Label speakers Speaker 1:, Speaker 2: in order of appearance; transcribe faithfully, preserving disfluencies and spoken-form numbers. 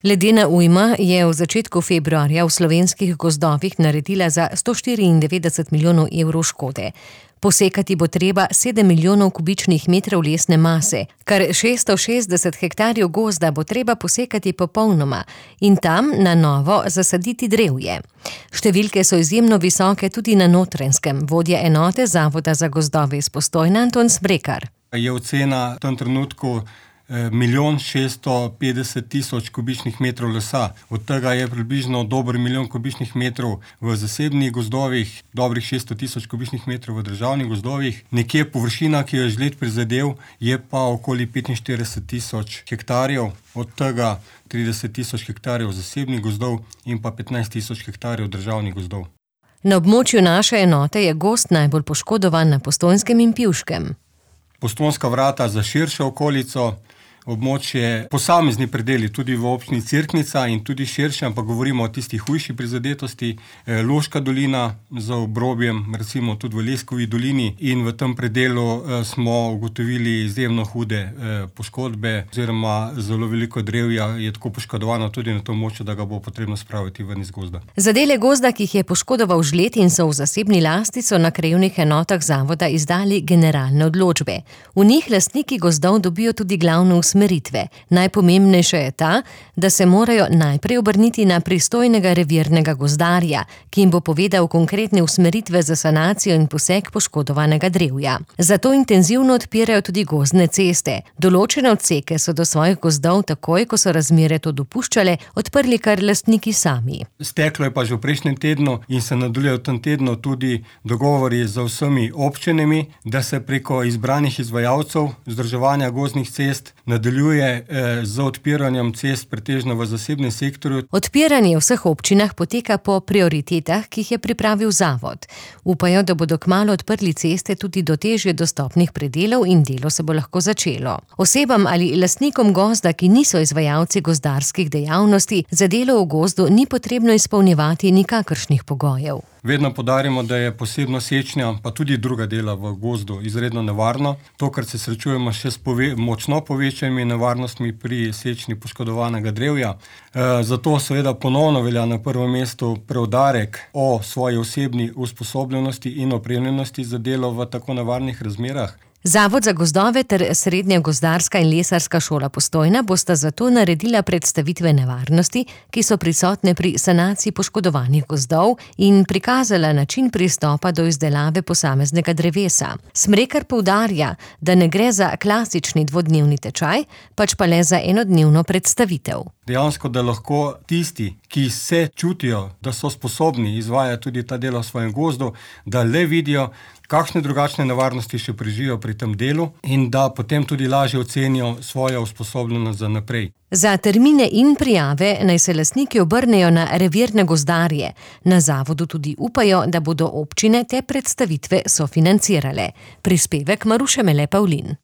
Speaker 1: Ledena ujma je v začetku februarja v slovenskih gozdovih naredila za sto štiriindevetdeset milijonov evrov škode. Posekati bo treba sedem milijonov kubičnih metrov lesne mase, kar šeststo šestdeset hektarjev gozda bo treba posekati popolnoma in tam na novo zasaditi drevje. Številke so izjemno visoke tudi na Notranjskem, vodja enote Zavoda za gozdove iz Postojne Anton Smrekar.
Speaker 2: Je ocena v tem trenutku milijon šeststo petdeset tisoč kubičnih metrov lesa. Od tega je približno dober milijon kubičnih metrov v zasebnih gozdovih, dobrih šeststo tisoč kubičnih metrov v državnih gozdovih. Nekje površina, ki jo je žled prizadel, je pa okoli petinštirideset tisoč hektarjev, od tega trideset tisoč hektarjev zasebnih gozdov in pa petnajst tisoč hektarjev državnih gozdov.
Speaker 1: Na območju naše enote je gozd najbolj poškodovan na Postojnskem in Pivškem.
Speaker 2: Postojnska vrata za širšo okolico, območje, posamezni predeli tudi v občini Cerknica in tudi širše, ampak govorimo o tistih hujši prizadetosti, Loška dolina z obrobjem, recimo tudi v Leskovi dolini, in v tem predelu smo ugotovili izjemno hude poškodbe oziroma zelo veliko drevja je tako poškodovano tudi na tom območju, da ga bo potrebno spraviti ven iz gozda.
Speaker 1: Za dele gozda, ki jih je poškodoval žled in so v zasebni lasti, so na krajevnih enotah zavoda izdali generalne odločbe. V njih lastniki gozdov dobijo tudi glavne usmeritve. Najpomembnejša je ta, da se morajo najprej obrniti na pristojnega revirnega gozdarja, ki jim bo povedal konkretne usmeritve za sanacijo in posek poškodovanega drevja. Zato intenzivno odpirajo tudi gozdne ceste. Določene odseke so do svojih gozdov takoj, ko so razmere to dopuščale, odprli kar lastniki sami.
Speaker 2: Steklo je pa že v prejšnjem tednu in se nadaljuje v tem tednu tudi dogovori z vsemi občinami, da se preko izbranih izvajalcev vzdrževanja gozdnih cest nadaljuje z odpiranjem cest pretežno v zasebnem sektorju.
Speaker 1: Odpiranje v vseh občinah poteka po prioritetah, ki jih je pripravil zavod. Upajo, da bodo kmalu odprli ceste tudi do težje dostopnih predelov in delo se bo lahko začelo. Osebam ali lastnikom gozda, ki niso izvajalci gozdarskih dejavnosti, za delo v gozdu ni potrebno izpolnjevati nikakršnih pogojev.
Speaker 2: Vedno poudarjamo, da je posebno sečnja, pa tudi druga dela v gozdu izredno nevarno. Tokrat se srečujemo še s pove- močno povečanimi nevarnostmi pri sečnji poškodovanega drevja. E, zato seveda ponovno velja na prvem mestu preudarek o svoji osebni usposobljenosti in opremljenosti za delo v tako nevarnih razmerah.
Speaker 1: Zavod za gozdove ter Srednja gozdarska in lesarska šola Postojna bosta zato naredila predstavitve nevarnosti, ki so prisotne pri sanaciji poškodovanih gozdov in prikazala način pristopa do izdelave posameznega drevesa. Smrekar poudarja, da ne gre za klasični dvodnevni tečaj, pač pa le za enodnevno predstavitev.
Speaker 2: Dejansko, da lahko tisti, ki se čutijo, da so sposobni izvajati tudi ta delo v svojem gozdu, da le vidijo, kakšne drugačne nevarnosti še preživijo pri tem delu in da potem tudi lažje ocenijo svojo usposobljenost za naprej.
Speaker 1: Za termine in prijave naj se lastniki obrnejo na revirne gozdarje. Na zavodu tudi upajo, da bodo občine te predstavitve sofinancirale. Prispevek Maruše Mele Pavlin.